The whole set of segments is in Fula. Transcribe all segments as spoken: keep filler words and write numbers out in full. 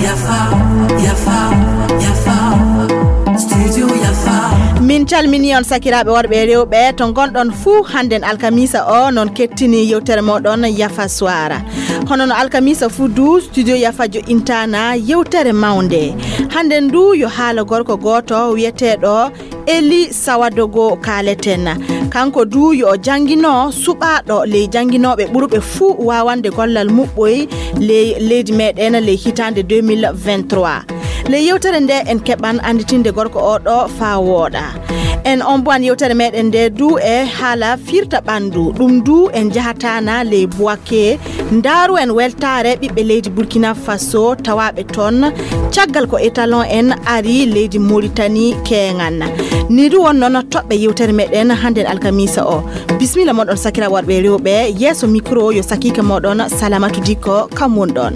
Yafa, yafa, yafa. Studio Yafa. Min calmini on sakiraaɓe worɓe e rewɓe to ngonɗon fuu. Hannden alkamisa o non kettini yewtere moɗon Yafa Suwara. Hono no alkamisa fuu du, Studio Yafa jo'intaana yewtere mawnde. Hannden du yo haala gorko gooto wi'eteeɗo Eli Sawadogo kaaleten. Kanko du yo o janngino suɓaaɗo ley jannginooɓe ɓurɓe fuu waawande gollal muɓɓoy ley leydi meɗen ley hitaande deux mille vingt-trois. Ley yewtere nde en keɓan annditinde gorko o ɗo faa wooɗa. En ombowan yewtere meɗen nde du e haala firta ɓanndu. Ɗum du en njahataana ley Buwake. Ndaaru en weltaare ɓiɓɓe leydi Burkina Faso tawaaɓe toon caggal ko étalon en ari leydi Moritani keeŋan. Ni du won noon toɓɓe yewtere meɗen hannden alkamisa o. Bismilla moɗon sakira worɓe e rewɓe, yeeso micro yo sakiike moɗon Salamatu Dikko, kam won ɗon.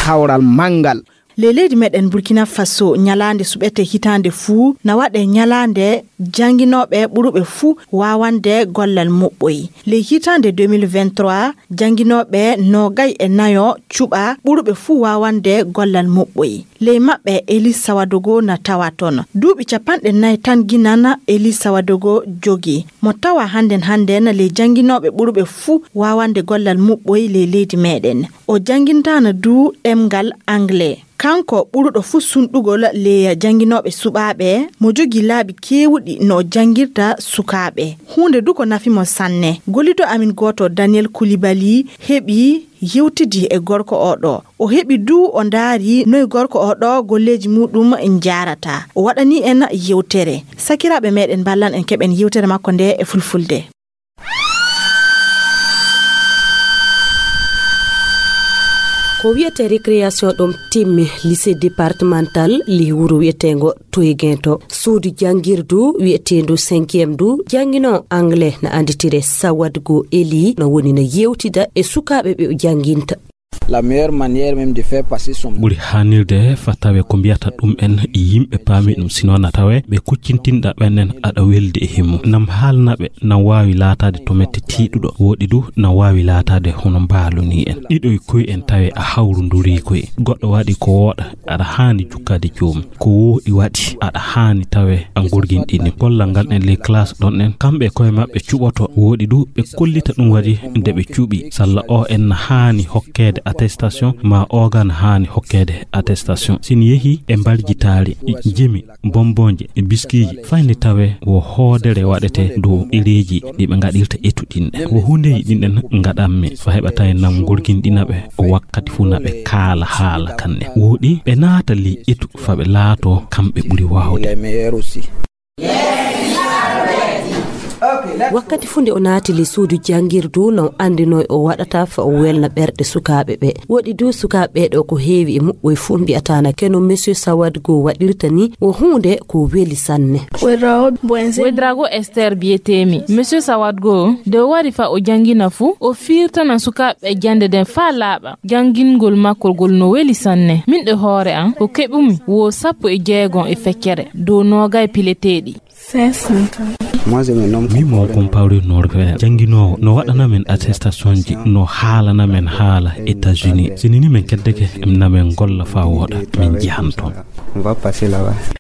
Kawral manngal. Ley leydi meɗen Burkina Faso, ñalaande suɓete hitaande fuu na waɗe ñalaande jannginooɓe ɓuruɓe fuu waawande gollal muɓɓoy. Ley hitaande deux mille vingt-trois, jannginooɓe noogay e nayo cuɓa ɓuruɓe fuu waawande gollal muɓɓoy. Ley maɓɓe, Elis Sawadogo na tawa toon. Duuɓi capanɗe nay tan ginan Elis Sawadogo jogi. Mo tawa hannden hannden ley jannginooɓe ɓuruɓe fuu waawande gollal muɓɓoy ley leydi meɗen. O janngintaana du ɗemngal Anglais. Kanko ɓuruɗo fuu sunɗugol ley jannginooɓe suɓaaɓe, mo jogii laabi keewuɗi no o janngirta sukaaɓe. Huunde du ko nafi mo sanne. Gollido amin gooto Daniel Koulibaly heɓi yewtidi e gorko o ɗo. O heɓi du o ndaari noy gorko o ɗo golleeji muɗum njaarata. O waɗani en yewtere. Sakiraaɓe meɗen mballan en keɓen yewtere makko nde e fulfulde. Ko wiyetee récréation ɗum timmi lycée départemental ley wuro wiyeteengo Toyguento. Suudu janngirdu wiyeteendu cinquième du jannginoo anglais na annditire Sawadgo Eli no woni no yewtida e sukaaɓe ɓe o jannginta. La meilleure manière même de faire passer son Ɓuri haanirde fa tawe ko mbiyata ɗum en yimɓe paami ɗum, sino na tawe ɓe kuccintinɗa ɓen en aɗa weldi e himmu. Nam haalna ɓe, nam waawi laataade to mette tiiɗuɗo, woɗi du nam waawi laataade hono mbaalu ni en. Ɗiɗo e koy en tawe a hawrundurii koy. Goɗɗo waɗi ko wooɗa, aɗa haani jukkaade joomum. Ko wooɗi waɗi, aɗa haani tawe a ngorginɗini. Gollal ngal en ley classe ɗon en, kamɓe e koye maɓɓe cuɓoto. Wooɗi du ɓe kollita ɗum waɗi nde ɓe cuɓi. Salla o en na haani hokkeede attestation, ma oga na haani hokkeede attestation. Sin yehi e mbarjitaari, jimi, bombonje, e biskiiji, fayni tawe wo hoodere waɗete dow ɗereeji ɗi ɓe ngaɗirta etuɗinɗe. Wo huundeeji ɗin ɗen ngaɗammi, fa heɓa tawi nam ngorginɗina ɓe, o wakkati fuu na ɓe kaala haala kanɗe. Wooɗi ɓe naata ley etu fa ɓe laato kamɓe ɓuri waawde. Les meilleurs aussi. Wakkati fuu nde o naati ley suudu janngirdu, no anndinoo o waɗata fa o welna ɓerɗe sukaaɓe ɓe. Woɗi du sukaaɓe ɓe ɗo ko heewi e muɓɓoy fuu mbiyataana keno Monsieur Sawadgo waɗirta ni, wo huunde ko weli sanne. Wedrago Esther biyeteemi. Monsieur Sawadgo, nde o wari fa o janngina fuu, o fiirtana sukaaɓe ɓe jannde nden faa laaɓa. Janngingol makko ngol no weli sanne. Min e hoore an, ko keɓumi wo sappo e jeegom e feccere dow noogay pileteeɗi. Moi, je me nomme Min mo Compaoré Norvège. Jannginoowo no waɗana men attestation ji, no haalana men haala États-Unis. Sini ni men keddeke, na men golla faa wooɗa, min njahan toon. On va passer là-bas.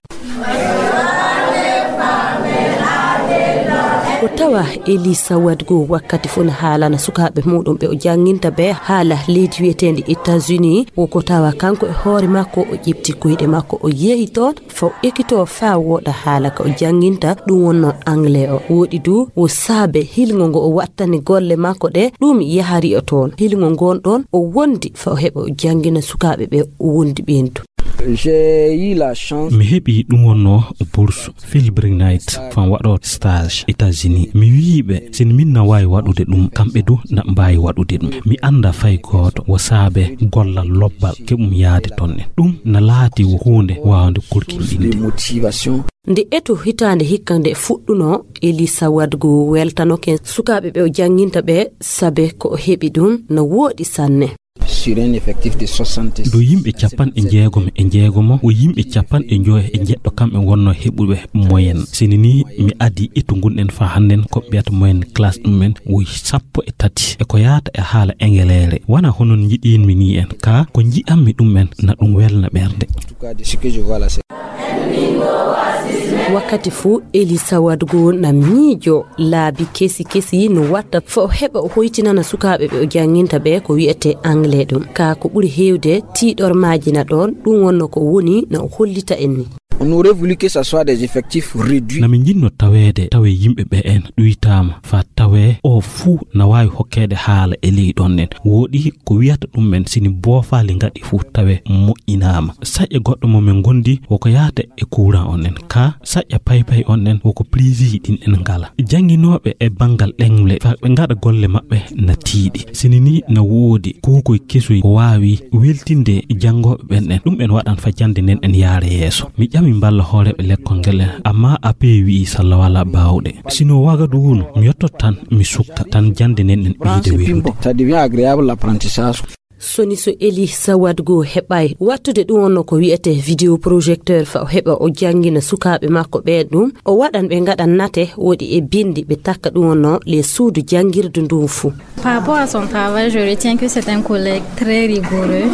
Ko tawa Elisa Wadgo wakkati fof ne haalana sukaaɓe muɗum ɓe o jannginta ɓe haala leydi wiyeteendi États-Unis. Wo ko tawa kanko e hoore makko o ƴefti koyɗe makko o yehi toon, fo ekitoo faa wooɗa haala ka o jannginta, ɗum wonnoo anglais o. Woɗi du wo saabe hilngo ngo o wattani golle makko ɗe, ɗum yahari o toon. Hilngo ngoon ɗoon o wondi faa o heɓa o janngina sukaaɓe ɓe o wondi ɓeen du. J'ai eu la chance. Mi heɓi ɗum wonnoo bourse Fulbright faa mi waɗoo stage États-Unis. Mi wiyi ɓe, si min na waawi waɗude ɗum, kamɓe du na mbaawi waɗude ɗum. Mi anndaa fay gooto wo saabe gollal lobbal keɓum yahde toon en. Ɗum na laati wo huunde waawnde korkinɗinde. De motivation. Nde eto hitaande hikka nde fuɗɗunoo, Elisa Wadgo weltanoke sukaaɓe ɓe o jannginta ɓe, sabe ko o heɓi ɗum no wooɗi sanne. Ɗo yimɓe capanɗe jeegom e jeegomo, o yimɓe capanɗe njoyo e jeɗɗo kamɓe wonno heɓuɓe moyen. Sini ni mi adi ittu ngun en fa hannden ko ɓeyata moyen classe ɗum en woyi sappo e tati. E ko yaata e haala engeleere. Wana hono njiɗinmi ni en, ka ko nji'anmi ɗum en na ɗum welna ɓernde. Wakkati fuu, Elisa Wadgo na miijo laabi kesi kesi no watta fa o heɓa o hoytinana sukaaɓe ɓe o jannginta ɓe ko wi'ete anglais ɗum. Ka ko ɓuri heewde, tiiɗormaaji na ɗoon, ɗum wonno ko woni na o hollita en ni. On aurait voulu que ça soit des effectifs réduits. Na min njinno taweede tawe yimɓe ɓe en ɗuytaama fa tawe o fuu na waawi hokkeede haala e ley ɗoon en. Wooɗi ko wiyata ɗum en sini boofaali ngaɗi fuu tawe moƴƴinaama. Saƴe goɗɗo mo min ngondi woko yaata e kuuran on en. Ka saƴa paypay on en woko plisiji ɗin en ngala. Jannginooɓe e banngal ɗemle fa ɓe ngaɗa golle maɓɓe na tiiɗi. Sini ni na woodi kuukoy kesoy ko waawi weltinde janngooɓe ɓen en. Ɗum en waɗan fa jannde nden en yaara yeeso. Mi ƴami mballa hooreeɓe lekkol ngel en, amma A P wi'i salla wala baawɗe. Sino Wagadugu no, mi yottot tan mi sukka, tan jannde nden en ɓeyde welude. Ça devient agréable l'apprentissage. Soni so Eli Sawadgo heɓaay wattude ɗum wonno ko wi'etee vidéo projecteur fa o heɓa o janngina sukaaɓe makko ɓeen ɗum, o waɗan ɓe ngaɗan nate woɗi e binndi ɓe takka ɗum wonno le suudu janngirdu ndun fuu. Par rapport à son travail, je retiens que c'est un collègue très rigoureux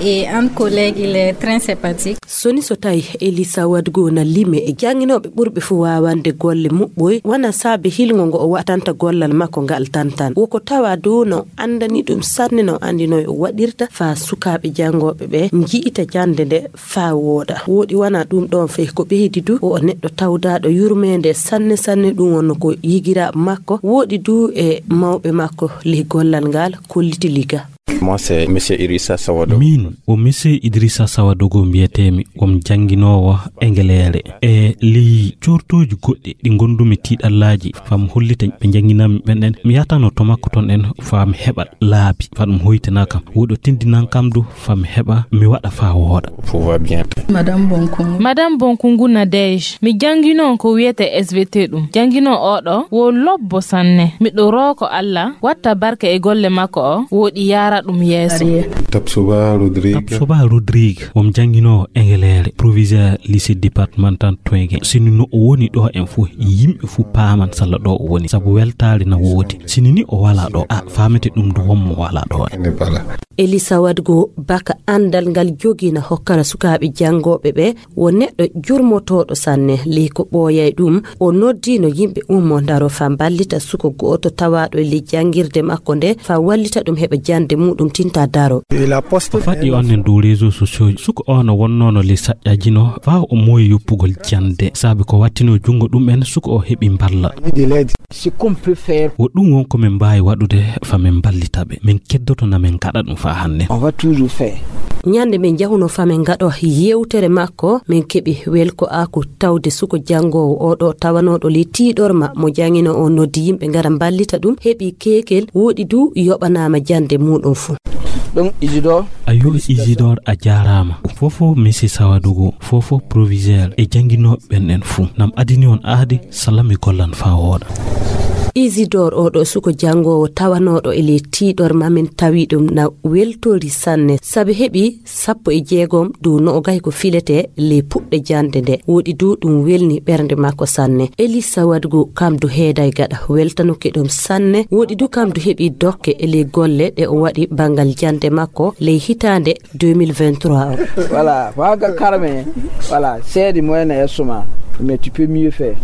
et entre collègues, il est très sympathique. Soni so tawi Eli Sawadgo na lime e jannginooɓe ɓurɓe fuu waawande golle muɓɓoy, wona saabe hilngo ngo o waɗanta gollal makko ngal tan tan. Woko tawa dow no anndani ɗum sanne no anndi noy o waɗirta faa sukaaɓe janngooɓe ɓe nji'ita jannde nde faa wooɗa. Wooɗi wona ɗum ɗoon fey ko ɓeydi du o neɗɗo tawdaaɗo yurmeende sanne sanne ɗum wonno ko yigiraaɓe makko wooɗi du e mawɓe makko ley gollal ngal kolliti liga. Moi, c'est Monsieur Idrissa Sawadogo. Min o Monsieur Idrissa Sawadogo mbiyetee-mi, wom jannginoowo engeleere. E ley coortooji goɗɗi ɗi ngonndumi tiiɗallaaji, fam hollita ɓe njannginanmi ɓen ɗen, mi yahatano to makko ton en, fam heɓa laabi, fam ɗum hoytina kam. Woɗo tindinan kam du, fam heɓa mi waɗa faa wooɗa. Tout va bien. Madame Bonkungu. Madame Bonkungu Nadège, mi jannginoo ko wiyetee S V T ɗum. Jannginoo oo ɗoo wo lobbo sanne. Miɗo rooko Alla watta barke e golle makko o, wooɗi yaara ɗum yeeso. Tapsoba Rodrigue. Tapsoba Rodrigue, wom jannginoowo engeleere, proviseur lycée départemental Twenge. Sini no o woni ɗo en fuu, yimɓe fuu paaman salla ɗo o woni, sabu weltaare na woodi. Sini ni o walaa ɗo, a faamete ɗum du wommo walaa ɗo en. Eli Sawadgo baka anndal ngal jogii na hokkara sukaaɓe janngooɓe ɓe, wo neɗɗo jurmotooɗo sanne, ley ko ɓooyay ɗum, o noddiino yimɓe ummo ndaro faa mballita suko go'oto tawaaɗo e ley janngirde makko nde, faa wallita ɗum heɓa jannde muuɗum tinta daro. O faɗɗi on en dow réseaux sociaux, suko o no wonnoono ley saƴƴaajino, faa o mooyi yoppugol jannde, saabi ko wattinoo junngo ɗum en, suko o heɓi mballa. Wo ɗum won ko min mbaawi waɗude faa min mballita ɓe. Min keddoto na min ngaɗa ɗum faa hannden. On va toujours faire. Ñande min njahunoo faa min ngaɗo yewtere makko, min keɓi welko'aaku tawde suko janngoowo oo ɗoo tawanooɗo ley tiiɗorma mo jannginoo o noddi yimɓe ngara mballita ɗum, heɓi keekel, wooɗi du yoɓanaama jannde muuɗum fuu. Donc, Isidore. Ayyo, Isidore, a jaaraama. Fofo Monsieur Sawadogo, fofo proviseur e jannginooɓe ɓen en fuu. Nam adini on aadi, salami gollan faa wooɗa. Isidore oo ɗoo suko janngoowo tawanooɗo e ley tiiɗorma min tawi ɗum na weltori sanne, sabi heɓi sappo e jeegom dow noogay ko filetee ley puɗɗe jannde nde. Wooɗi du ɗum welni ɓernde makko sanne. Eli Sawadgo kam du heeday gaɗa weltanuki ɗum sanne. Wooɗi du kam du heɓi dokke e ley golle ɗe o waɗi banngal jannde makko ley hitaande deux mille vingt-trois o. Voilà, waga karme. Voilà, seedi moyen e suma, mais tu peux mieux faire.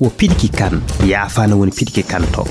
Wo piɗiki kan, yaafaana woni piɗiki kan to.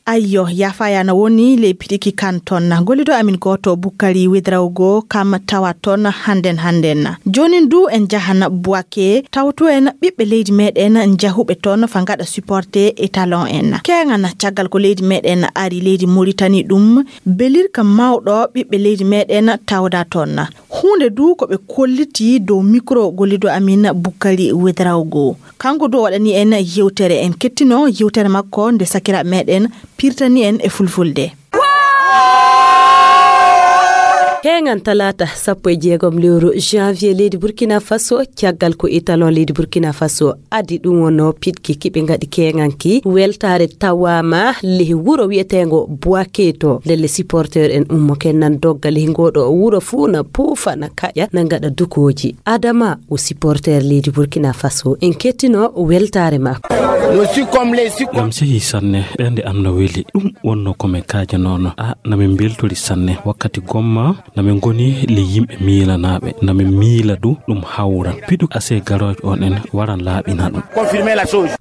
Ayyo, yaafaaya na woni ley piɗiki kan ton. Gollido amin gooto Bukkari Wedrawgo kam tawa ton hannden hannden. Joonin du en njahan Buwake, tawto en ɓiɓɓe leydi meɗen njahuɓe ton fa ngaɗa supporter étalon en. Keeŋan caggal ko leydi meɗen ari leydi Moritani ɗum, belirka mawɗo ɓiɓɓe leydi meɗen tawda ton. Huunde du ko ɓe kolliti dow mikro gollido amin Bukkari Wedrawgo. Kanko du o waɗani en yewtere, en kettino yewtere makko nde sakiraaɓe meɗen pirtani en e fulfulde. Keeŋan talaata sappo e jeegom lewru janvier leydi Burkina Faso, caggal ko étalon leydi Burkina Faso adi ɗum wonno piɗki kiɓe ngaɗi keeŋanki weltaare tawaama lehi wuro wiyeteengo Boaké to. Ndelle supporter en ummo ken nan dogga lehi ngoɗo wuro fuu na puufa na kaƴa na ngaɗa dukooji. Adama o supporter leydi Burkina Faso. En kettino weltaare makko. Lam sehi sanne, ɓernde am no weli. Ɗum wonno ko min kaajanoono. A, na min mbeltori sanne. Wakkati gomma, na min ngoni le yimɓe miilanaaɓe. Na min miila du ɗum hawran. Piɗu ase garoojo on en waran laaɓina ɗum.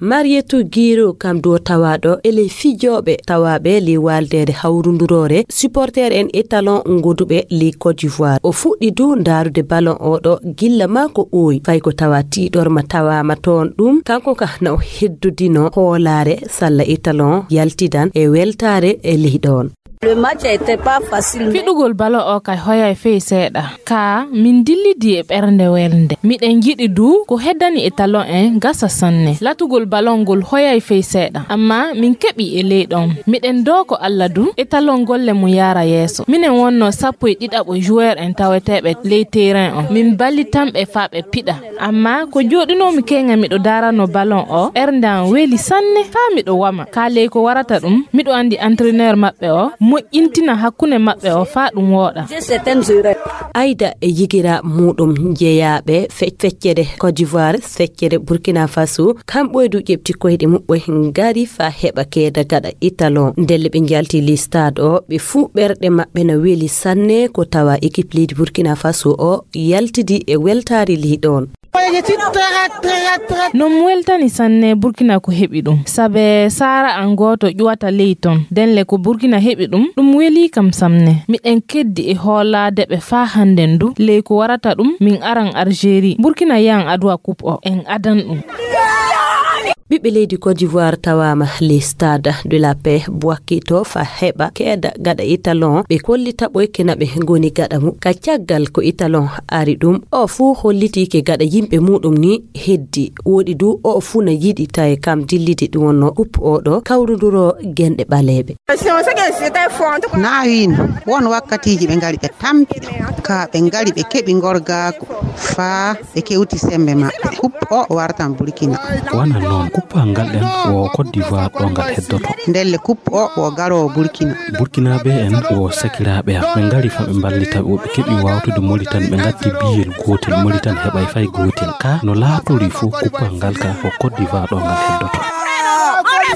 Marietou Guiro kam do tawaaɗo e ley fijooɓe tawaaɓe ley waaldeede hawrunduroore supporter en étalon ngoduɓe ley Côte d'Ivoire. O fuɗɗi du ndaarude ballon oɗo gilla maa ko ɓooyi. Fay ko tawa tiiɗorma tawaama toon ɗum, kanko ka na o heddodino hoolaare salla étalon yaltidan e weltaare e ley ɗoon. Le match était pas facile, mais fiɗugol ballon o kay hoyay fey seeɗa. Ka min dillidi e ɓernde welnde. Miɗen njiɗi du ko heddani étalon en gasa sanne. Latugol ballon ngol hoyay fey seeɗa. Amma min keɓi e ley ɗon. Miɗen doo ko Alla du étalon golle mum yaara yeeso. Minen wonno sappo e ɗiɗaɓo joueur en taweteeɓe ley terrain on. Min ballitanɓe faa ɓe piɗa. Amma ko jooɗinoomi keeŋa miɗo daarano ballon o, ɓernde am weli sanne faa miɗo wama. Kaa ley ko warata ɗum, miɗo anndi entraîneur maɓɓe o moƴƴintina hakkunde maɓɓe o faa ɗum wooɗa. Ayda e yigira muɗum jeyaaɓe fe-, feccere Côte d'Ivoire, feccere Burkina Faso, kamɓe du ƴeɓti koyɗe muɓɓe ngari faa heɓa keeda gaɗa étalon. Ndelle ɓe njalti ley stade o, ɓe fuu ɓerɗe maɓɓe na weli sanne ko tawa équipe leydi Burkina Faso o yaltidi e weltaari ley ɗoon. Non weltani sanne Burkina ko heɓi ɗum. Sabe saara an gooto ƴuwata ley ton. Denle ko Burkina heɓi ɗum, ɗum weli kam sanne. Miɗen keddi e hoolaade ɓe faa hannden du. Ley ko warata ɗum, min aran Algérie. Burkina yahan aduwa coupe o, en adan ɗum. Ɓiɓɓe leydi Côte d'Ivoire tawaama le Stade de la Paix Bouaké to faa heɓa keeda gaɗa étalon. Ɓe kollita ɓoyke na ɓe ngoni gaɗa mum. Ka caggal ko étalon ari ɗum, o fuu holliti ke gaɗa yimɓe muɗum ni heddi. Woɗi du o fuu na yiɗi tawi kam dillidi ɗum wonno coupe oɗo kawruduro genɗe ɓaleeɓe. Na wiin won wakkatiiji ɓe ngari ɓe tampi, ka ɓe ngari ɓe keɓi ngorgaaku faa ɓe kewti sembe maɓɓe. Coupe o wartan Burkina. Wana noon, coupe ngal ɗen wo Côte d'Ivoire ɗo ngal heddoto. Ndelle coupe o wo garoowo Burkina. Burkinaaɓe en wo sakiraaɓe am. Ɓe ngari faa ɓe mballita ɓe, ɓe keɓi wawtude Mauritanie, ɓe ngatti biyel gootel, Mauritanie heɓay fay gootel. Ka no laatori fuu, coupe ngal ka wo Côte d'Ivoire ɗo ngal heddoto.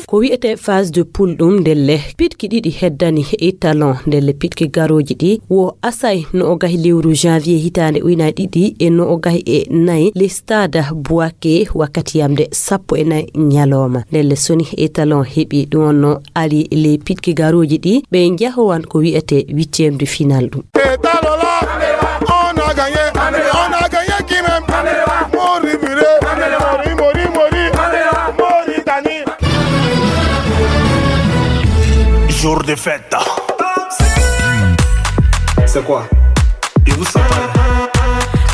Ko wi'etee phase de poule ɗum ndelle piɗki ɗiɗi heddani étalon, ndelle piɗki garooji ɗi wo asay no o gahi lewru janvier hitaande ujunaaji ɗiɗi e no o gahi e nayi le Stade Bouaké wakkati yamde sappo e nayi ñalooma. Ndelle soni étalon heɓi ɗum wonno ari le piɗki garooji ɗi, ɓe njahowan ko wi'etee huitième de finale ɗum. Et alors là, on a gagné, on a gagné qui même? Mori Bure, Mori, Mori, Mori, Mauritanie. Jour de fête. C'est quoi? Et vous, ça parle.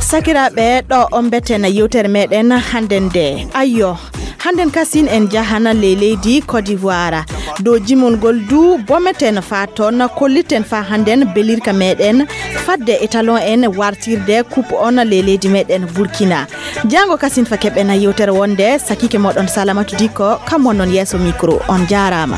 Sakiraaɓe, ɗo on mbeten yewtere meɗen hannden nde. Ayyo, hannden kasin en jahana ley leydi Côte d'Ivoire. Dow jimol ngol du, bometen faa toon, kolliten faa hannden belirka meɗen fadde étalon en wartirde coupe on ley leydi meɗen Burkina. Jaango kasin fa keɓɓen yewtere wonde, sakiike moɗon Salamatu Dikko, kam wonnon yeeso micro. On jaaraama.